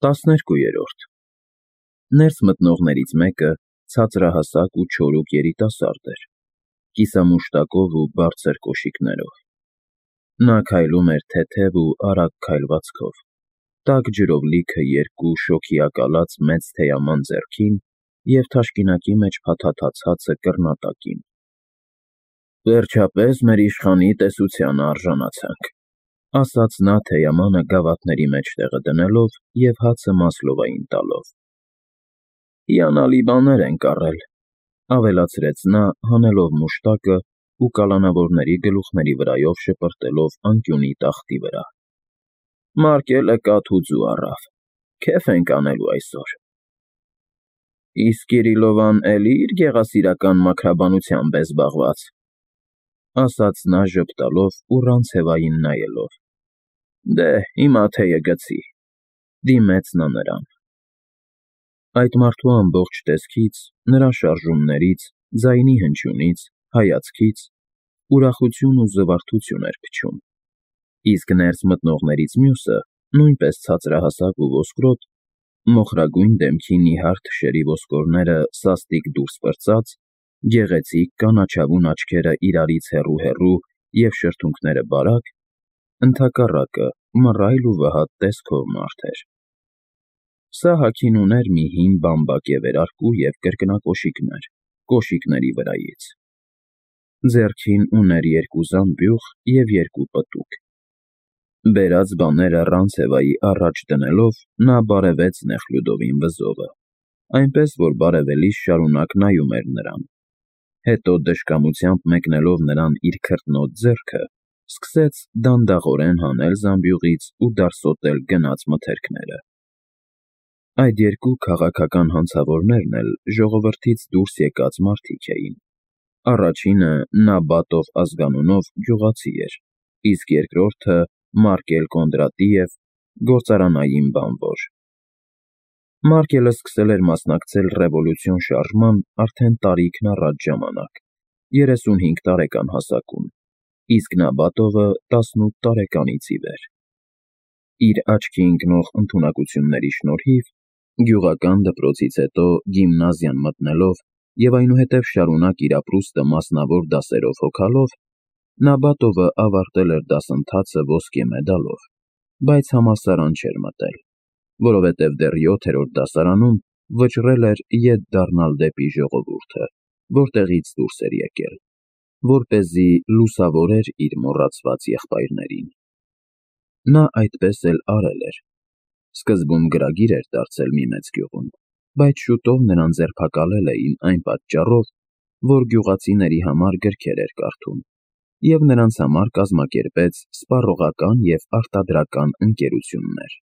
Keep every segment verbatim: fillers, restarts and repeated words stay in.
տասներկուերորդ Ներս մտնողներից մեկը ցածրահասակ ու չորուկ երիտասարդ էր, կիսամուշտակով ու բարձր կոշիկներով. նա քայլում էր թեթև ու արագ քայլվածքով, տաք ջրով լիքը երկու շոգիակալած մեծ թեյաման ձեռքին և թաշկինակի մեջ փաթաթած հացը կռնատակին։ «Վերջապես մեր իշխանի տեսությանը արժանացանք», ասաց նա թեյամանը գավաթների մեջտեղը դնելով և հացը Մասլովային տալով։ «Հիանալի բաներ ենք առել», ավելացրեց նա, հանելով մուշտակը ու կալանավորների գլուխների վրայով շպրտելով անկյունի տախտի վրա։ «Մարկելը կաթ ու ձու առավ, քեֆ ենք անելու այսօր»։ «Իսկ Կիրիլովան էլի իր գեղասիրական մաքրաբանությամբ է զբաղված», ասաց նա ժպտալով ու Ռանցևային նայելով։ «Դե, հիմա թեյը գցի», դիմեց նա նրան։ Այդ մարդու ամբողջ տեսքից, նրա շարժումներից, ձայնի հնչյունից, հայացքից ուրախություն ու զվարթություն էր փչում, իսկ ներս մտնողներից մյուսը, նույնպես ցածրահասակ ու ոսկրոտ, մոխրագույն դեմքի նիհար թշերի ոսկորները սաստիկ դուրս պրծած, գեղեցիկ կանաչավուն աչքերը իրարից հեռու֊հեռու և շրթունքները բարակ, ընդհակառակը մռայլ ու վհատ տեսքով մարդ էր։ Սա հագին ուներ մի հին բամբակե վերարկու և կրկնակոշիկներ, կոշիկների վրայից։ Ձեռքին ուներ երկու զամբյուղ և երկու պտուկ։ Բերած բաները Ռանցևայի առաջ դնելով, նա բարևեց Նեխլյուդովին վզովը, այնպես որ բարևելիս շարունակ նայում էր նրան, հետո դժկամությամբ մեկնելով նրան իր քրտնոտ ձեռքը, սկսեց դանդաղորեն հանել զամբյուղից ու դարսոտել գնած մթերքները։ Այդ երկու քաղաքական հանցավորներն էլ ժողովրդից դուրս եկած մարդիկ էին։ Առաջինը Նաբատով ազգանունով գյուղացի էր, իսկ երկրորդը Մարկել Կոնդրատիև, գործարանային բանվոր։ Մարկելը սկսել էր մասնակցել ռևոլյուցիոն շարժման արդեն տարիքն առաջ ժամանակ, երեսունհինգ տարեկան հասակում, իսկ Նաբատովը տասնութ տարեկանից ի վեր։ Իր աչքի ընկնող ընդունակությունների շնորհիվ, գյուղական դպրոցից հետո գիմնազիան մտնելով և այնուհետև շարունակ իր ապրուստը մասնավոր դասերով հոգալով, Նաբատովը ավարտել էր դասընթացը ոսկե մեդալով, բայց համալսարան չէր մտել, որովհետև դեռ յոթերորդ դասարանում վճռել էր ետ դառնալ դեպի ժողովուրդը, որտեղից դուրս էր եկել, որպեսզի լուսավորեր իր մոռացված եղբայրներին։ Նա այդպես էլ արել էր։ Սկզբում գրագիր էր դարձել մի մեծ գյուղում, բայց շուտով նրան ձերբակալել էին այն պատճառով, որ գյուղացիների համար գրքեր էր կարդում, և նրանց համար կազմակերպեց սպառողական և արտադրական ընկերություններ։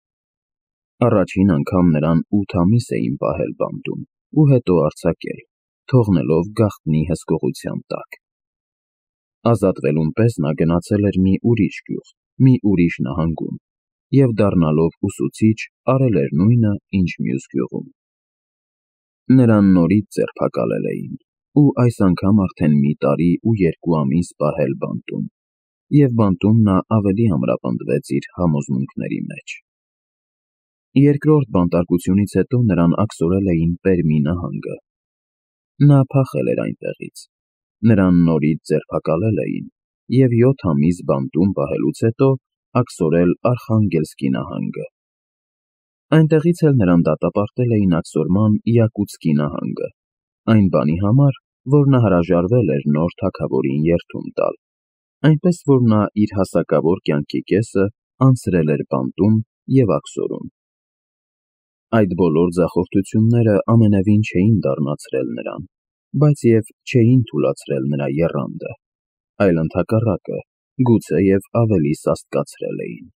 Առաջին անգամ նրան ութ ամիս էին պահել բանտում ու հետո արձակել, թողնելով գաղտնի հսկողության տակ։ Ազատվելուն պես նա գնացել էր մի ուրիշ գյուղ, մի ուրիշ նահանգում և դառնալով ուսուցիչ արել էր նույնը, ինչ մյուս գյուղում։ Նրան նորից ձերբակալել էին ու այս անգամ արդեն մի տարի ու երկու ամիս պահել բանտում, և բանտում նա ավելի ամրապնդվեց իր համոզմունքների մեջ։ Երկրորդ բանտարկությունից հետո նրան աքսորել էին Պերմի նահանգը։ Նա փախել էր այնտեղից, նրան նորից ձերբակալել էին և յոթ ամիս բանտում պահելուց հետո աքսորել Արխանգելսկի նահանգը։ Այնտեղից էլ նրան դատապարտել էին աքսորման Յակուտսկի նահանգը, այն բանի համար, որ նա հրաժարվել էր նոր թագավորին երդում տալ, այնպես որ նա իր հասակավոր կյանքի կեսը անցրել էր բանտում և աքսորում։ Այդ բոլոր ձախորդությունները ամենևին չէին դառնացրել նրան, բայց և չէին թուլացրել նրա եռանդը, այլ ընդհակառակը, գուցեև ավելի սաստկացրել էին։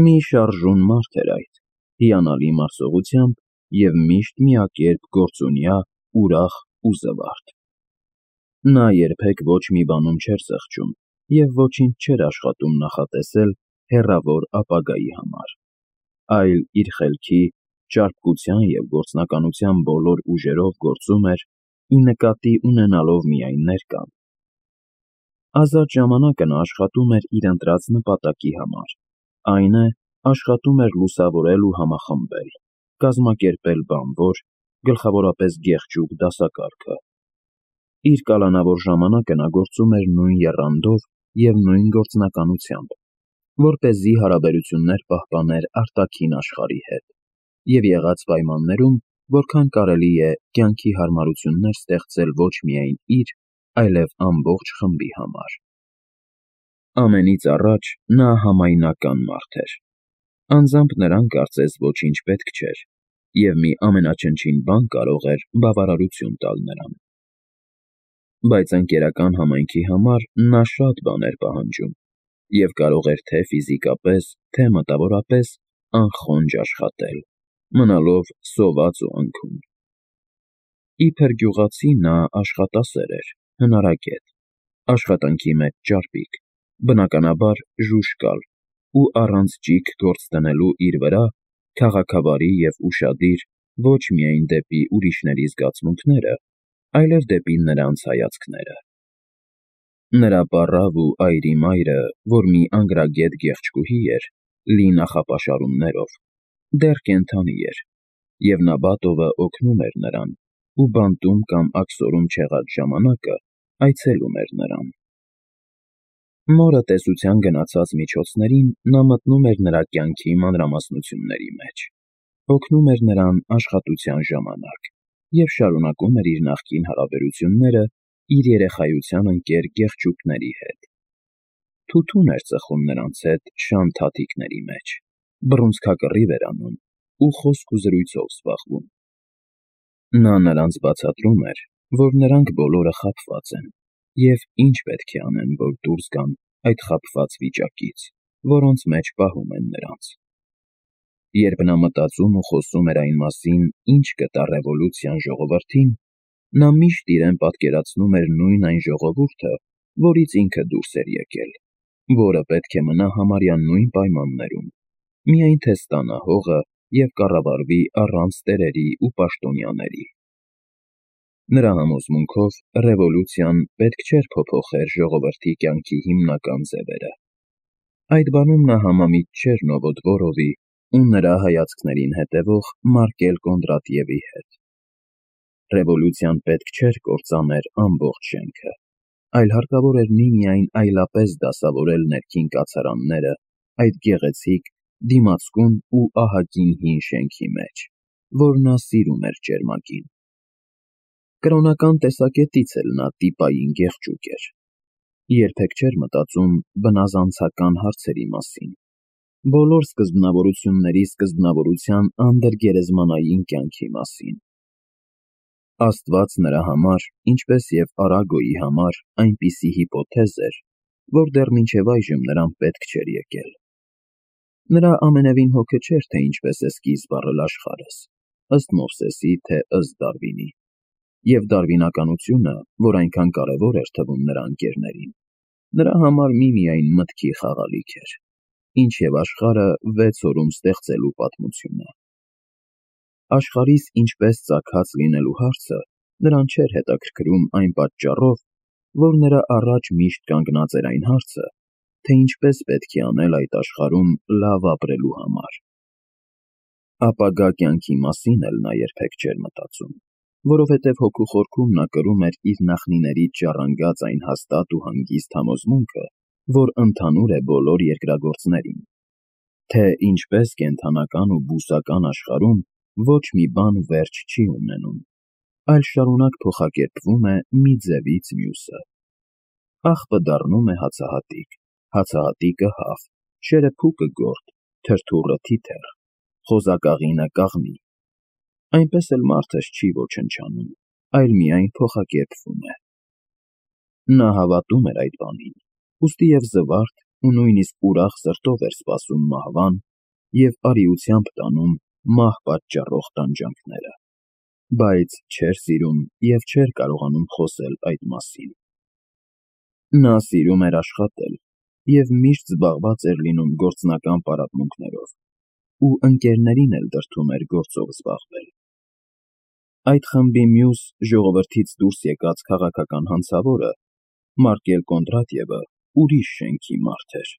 Մի շարժուն մարդ էր այդ, հիանալի մարսողությամբ և միշտ միակերպ գործունյա, ուրախ ու զվարթ։ Նա երբեք ոչ մի բանում չէր զղջում և ոչինչ չէր աշխատում նախատեսել հեռավոր ապագայի համար, այլ իր խելքի, ճարպկության և գործնականության բոլոր ուժերով գործում էր, ի նկատի ունենալով միայն ներկան։ Ազատ ժամանակը նա աշխատում էր իր ընտրած նպատակի համար, այն է, աշխատում էր լուսավորել ու համախմբել, կազմակերպել բանվոր, գլխավորապես գեղջուկ դասակարգը։ Իր կալանավոր ժամանակը նա գործում էր նույն եռանդով և նույն գործնականությամբ, որպեսզի հարաբերություններ պահպաներ արտաքին աշխարհի հետ և եղած պայմաններում որքան կարելի է կյանքի հարմարություններ ստեղծել ոչ միայն իր, այլև ամբողջ խմբի համար։ Ամենից առաջ նա համայնական մարդ էր։ Անձամբ նրան կարծես ոչինչ պետք չէր, և մի ամենաչնչին բան կարող էր բավարարություն տալ նրան։ Բայց ընկերական համայնքի համար նա շատ բան էր պահանջում և կարող էր թե ֆիզիկապես, թե մտավորապես անխոնջ աշխատել, մնալով սոված ու անքուն։ Իբր գյուղացի նա աշխատասեր էր, հնարագետ, աշխատանքի մեջ ճարպիկ, բնականաբար ժուժկալ ու առանց ճիգ գործ դնելու իր վրա քաղաքավարի և ուշադիր ոչ միայն դեպի ուրիշների զգացմունքները, այլև դեպի նրանց հայացքները։ Նրա պառավ ու այրի մայրը, որ մի անգրագետ գեղեցկուհի էր, լի նախապաշարումներով, դեռ կենդանի էր, և Նաբատովը օգնում էր նրան ու բանտում կամ աքսորում չեղած ժամանակը այցելում էր նրան։ Մորը տեսության գնացած միջոցներին նա մտնում էր նրա կյանքի մանրամասնությունների մեջ, օգնում էր նրան աշխատության ժամանակ և շարունակում էր իր նախկին հարաբերությունները իր երեխայության ընկեր գեղջուկների հետ։ Թութուն էր ծխում նրանց հետ շան թաթիկների մեջ, բռունցքակռիվ էր անում ու խոսք ու զրույցով զբաղվում։ Նա նրանց բացատրում էր, որ նրանք բոլորը խաբված են և ինչ պետք է անեն, որ դուրս գան այդ խաբված վիճակից, որոնց մեջ պահում են նրանց։ Երբ նա մտածում ու խոսում էր այն մասին, ինչ կտա ռևոլյուցիան ժողովրդին, նա միշտ իրեն պատկերացնում էր նույն այն ժողովուրդը, որից ինքը դուրս էր եկել, որը պետք է մնա համարյա նույն պայմաններում, միայն թե ստանա հողը և կառավարվի առանց տերերի ու պաշտոնյաների։ Նրա համոզմունքով ռևոլյուցիան պետք չէր փոփոխեր ժողովրդի կյանքի հիմնական ձևերը։ Այդ բանում նա համեմիտ չէր Նովոդվորովի ու նրա հայացքներին հետևող Մարկել Կոնդրատիևի հետ։ Ռևոլյուցիան պետք չէր կործաներ ամբողջ շենքը, այլ հարկավոր էր միմիայն այլապես դասավորել ներքին կացարանները այդ գեղեցիկ, դիմացկուն ու ահագին հին շենքի մեջ, որ նա սիրում էր ճերմակին։ Կրոնական տեսակետից էլ նա տիպային գեղջուկ էր։ Երբեք չէր մտածում բնազանցական հարցերի մասին, բոլոր սկզբնավորությունների սկզբնավորության անդրգերեզմանային կյանքի մասին։ Աստված նրա համար, ինչպես և Արագոյի համար, այնպիսի հիպոթեզ էր, որ դեռ մինչև այժմ նրան պետք չէր եկել։ Նրա ամենևին հոգը չէր, թե ինչպես է սկիզբ առել աշխարհս, ըստ Մովսեսի, թե ըստ Դարվինի, և դարվինականությունը, որ այնքան կարևոր էր թվում նրա ընկերներին, նրա համար միմիայն մտքի խաղալիք էր, ինչև աշխարհը վեց օրում ստեղծելու պատմությունը։ Աշխարհիս ինչպես ծագած լինելու հարցը նրան չէր հետաքրքրում այն պատճառով, որ նրա առաջ միշտ կանգնած էր այն հարցը, թե ինչպես պետք է անել այդ աշխարհում լավ ապրելու համար։ Ապագա կյանքի մասին էլ նա երբեք չէր մտածում, որովհետև հոգու խորքում նա կրում էր իր նախնիներից ժառանգած այն հաստատ ու հանգիստ համոզմունքը, որ ընդհանուր է բոլոր երկրագործներին, թե ինչպես կենդանական ու բուսական աշխարհում ոչ մի բան վերջ չի ունենում, այլ շարունակ փոխակերպվում է մի ձևից մյուսը։ Աղբը դառնում է հացահատիկ, հացահատիկը հավ, շերեփուկը գորգ, թրթուրը թիթեռ, խոզակաղինը կաղնի։ Այնպես էլ մարդս չի ոչնչանում, այլ միայն փոխակերպվում է։ Նա հավատում էր այդ բանին, ուստի և զվարթ ու նույնիսկ ուրախ սրտով էր սպասում մահվան և արիությամբ տանում մահ պատճառող տանջանքները, բայց չէր սիրում և չէր կարողանում խոսել այդ մասին։ Նա սիրում էր աշխատել և միշտ զբաղված էր լինում գործնական պարապմունքներով ու ընկերներին էլ դրդում էր գործով զբաղվել։ Այդ խմբի մյուս ժողովրդից դուրս եկած քաղաքական հանցավորը՝ Մարկել Կոնդրատիևը, ուրիշ շենքի մարդ էր։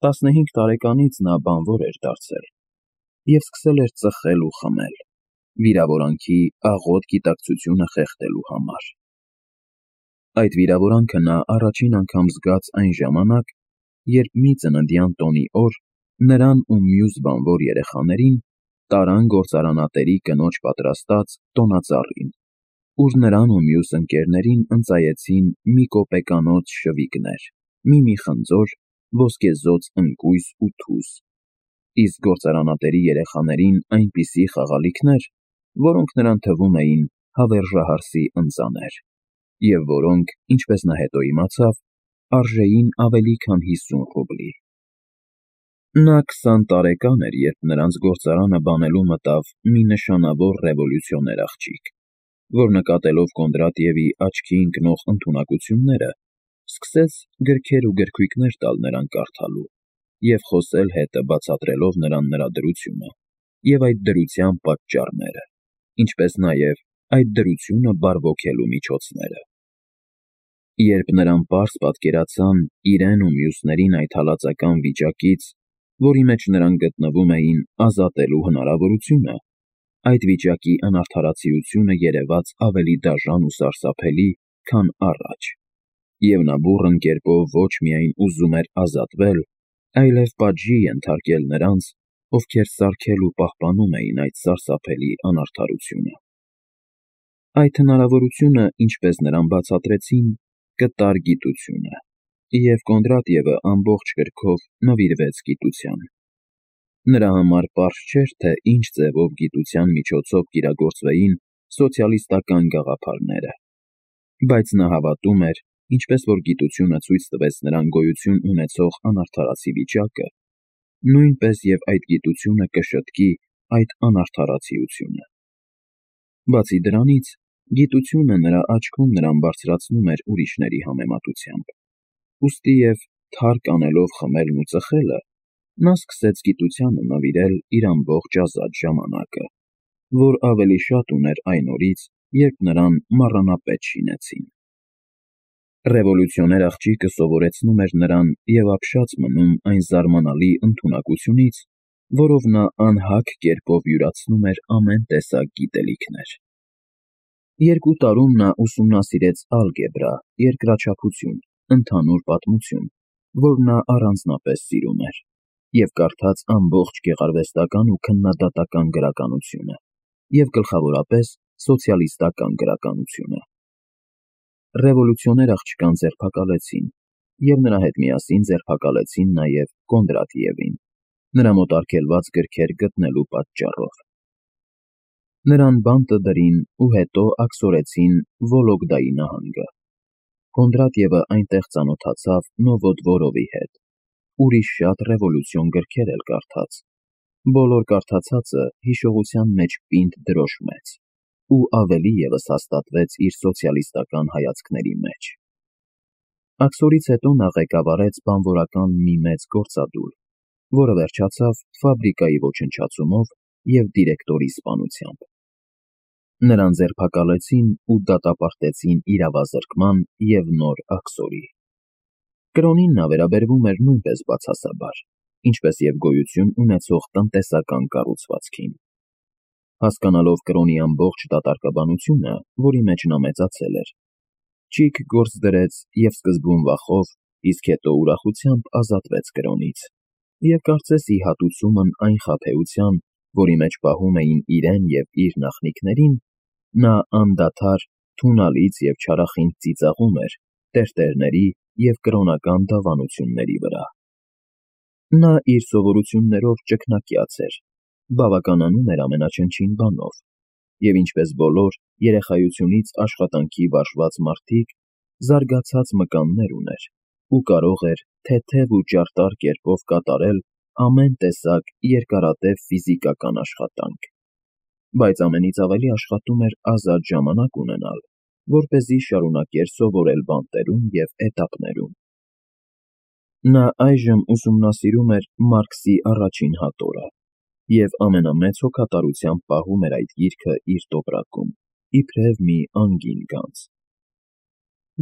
Տասնհինգ տարեկանից նա բանվոր էր դարձել և սկսել էր ծխել ու խմել, վիրավորանքի աղոտ գիտակցությունը խեղդելու համար։ Այդ վիրավորանքը նա առաջին անգամ զգաց այն ժամանակ, երբ մի ծննդյան տոնի օր նրան ու մյուս բանվոր երեխաներին տարան գործարանատերի կնոջ պատրաստած տոնածառին, ուր նրան ու մյուս ընկերներին ընծայեցին մի կոպեկանոց շվիկներ, մի-մի խնձոր, ոսկեզօծ ընկույզ ու թուզ, իսկ գործարանատերի երեխաներին այնպիսի խաղալիքներ, որոնք նրան թվում էին հավերժահարսի ընծաներ, և որոնք, ինչպես նա հետո իմացավ, արժեին ավելի քան հիսուն ռուբլի։ Նա քսան տարեկան էր, երբ նրանց գործարանը բանելու մտավ մի նշանավոր ռևոլյուցիոներ աղջիկ, որ նկատելով Կոնդրատիևի աչքի ընկնող ընդունակությունները, սկսեց գրքեր ու գրքույկներ տալ նրան կարդալու և խոսել հետը բացատրելով նրան նրա դրությունը և այդ դրության պատճառները, ինչպես նաև այդ դրությունը բարվոքելու միջոցները։ Երբ նրան պարզ պատկերացան իրեն ու մյուսներին այդ հալածական վիճակից, որի մեջ նրանք գտնվում էին, ազատելու հնարավորությունը, այդ վիճակի անարդարացիությունը երևաց ավելի դաժան ու սարսափելի, քան առաջ, և նա բուռն կերպով ոչ միայն ուզում էր ազատվել, այլև պատժի ենթարկել նրանց, ովքեր սարքել ու պահպանում էին այդ սարսափելի անարդարությունը։ Այդ հնարավորությունը, ինչպես նրան բացատրեցին, կտար գիտությունը, և Կոնդրատիևը ամբողջ կրքով նվիրվեց գիտության։ Նրա համար պարզ չէր, թե ինչ ձևով գիտության միջոցով կիրագործվեին սոցիալիստական գաղափարները, բայց նա հավատում էր, ինչպես որ գիտությունը ցույց տվեց նրան գոյություն ունեցող անարդարացի վիճակը, նույնպես և այդ գիտությունը կշտկի այդ անարդարացիությունը։ Բացի դրանից, գիտությունը նրա աչքում նրան բարձրացնում էր ուրիշների համեմատությամբ, ուստի և, թարկ անելով խմելն ու ծխելը, նա սկսեց գիտությանը նվիրել իր ամբողջ ազատ ժամանակը, որ ավելի շատ ուներ այն օրից, երբ նրան մառանապետ շինեցին։ Ռևոլյուցիոներ աղջիկը սովորեցնում էր նրան և ապշած մնում այն զարմանալի ընդունակությունից, որով նա անհագ կերպով յուրացնում էր ամեն տեսակ գիտելիքներ։ Երկու տարում նա ուսումնասիրեց ալգեբրա, երկրաչափություն, ընդհանուր պատմություն, որ նա առանձնապես սիրում էր, և կարդաց ամբողջ գեղարվեստական ու քննադատական գրականությունը և գլխավորապես սոցիալիստական գրականությունը։ Ռևոլյուցիոներ աղջկան ձերբակալեցին, և նրա հետ միասին ձերբակալեցին նաև Կոնդրատիևին, նրա մոտ արգելված գրքեր գտնելու պատճառով։ Նրան բանտը դրին ու հետո աքսորեցին Վոլոգդայի նահանգը։ Կոնդրատիևը այնտեղ ծանոթացավ Նովոդվորովի հետ, ուրիշ շատ ռևոլյուցիոն գրքեր էլ կարդաց, բոլոր կարդացածը հիշողության մեջ պինդ դրոշ մեծ ու ավելի ևս հաստատվեց իր սոցիալիստական հայացքների մեջ։ Աքսորից հետո նա ղեկավարեց բանվորական մի մեծ գործադուլ, որը վերջացավ ֆաբրիկայի ոչնչացումով և դիրեկտորի սպանությամբ։ Նրան ձերբակալեցին ու դատապարտեցին իրավազրկման և նոր աքսորի։ Կրոնին նա վերաբերվում էր նույնպես բացասաբար, ինչպես և գոյություն ունեցող տնտեսական կառուցվածքին։ Հասկանալով կրոնի ամբողջ դատարկաբանությունը, որի մեջ նա մեծացել էր, Չիք գործ դրեց և սկզբում վախով, իսկ հետո ուրախությամբ ազատվեց կրոնից, և կարծես ի հատուցումն այն խաբեության, որի մեջ պահում էին իրեն և իր նախնիքներին, նա անդադար թունալից և չարախինդ ծիծաղում էր տերտերների և կրոնական դավանությունների վրա։ Նա իր սովորություններով ճգնակյաց էր, բավականանում էր ամենաչնչին բանով, և ինչպես բոլոր երեխայությունից աշխատանքի վարժված մարդիկ, զարգացած մկաններ ուներ ու կարող էր թեթև ու ճարտար կերպով կատարել ամեն տեսակ երկարատև ֆիզիկական աշխատանք, բայց ամենից ավելի աշխատում էր ազատ ժամանակ ունենալ, որպեսզի շարունակեր սովորել բանտերում և էտապներում։ Նա այժմ ուսումնասիրում էր Մարքսի առաջին հատորը և ամենամեծ հոգատարությամբ պահում էր այդ գիրքը իր տոպրակում, իբրև մի անգին գանձ։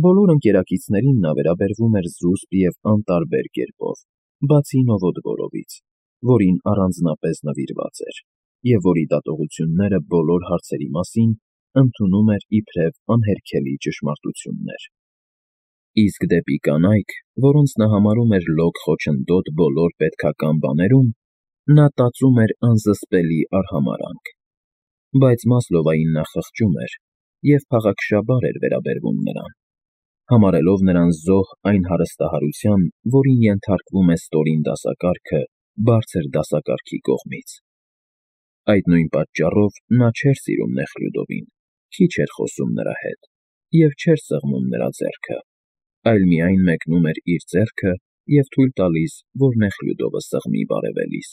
Բոլոր ընկերակիցներին նա վերաբերվում էր զուսպ և անտարբեր կերպով բացի Նովոդվորովից, որին առանձնապես նվիրված էր, և որի դատողությունները բոլոր հարցերի մասին ընդունում էր իբրև անհերքելի ճշմարտություններ։ Իսկ դեպի կանայք, որոնց նա համարում էր լոկ խոչընդոտ բոլոր պետքական բաներում, նա տածում էր անզսպելի արհամարհանք, բայց Մասլովային նա խղճում էր և փաղաքշաբար էր վերաբերվում նրան, համարելով նրան զոհ այն հարստահարության, որին ենթարկվում է ստորին դասակարգը բարձր դասակարգի կողմից։ Այդ նույն պատճառով նա չէր սիրում Նեխլյուդովին, քիչ էր խոսում նրա հետ և չէր սեղմում նրա ձեռքը, այլ միայն մեկնում էր իր ձեռքը և թույլ տալիս, որ Նեխլյուդովը սեղմի բարևելիս։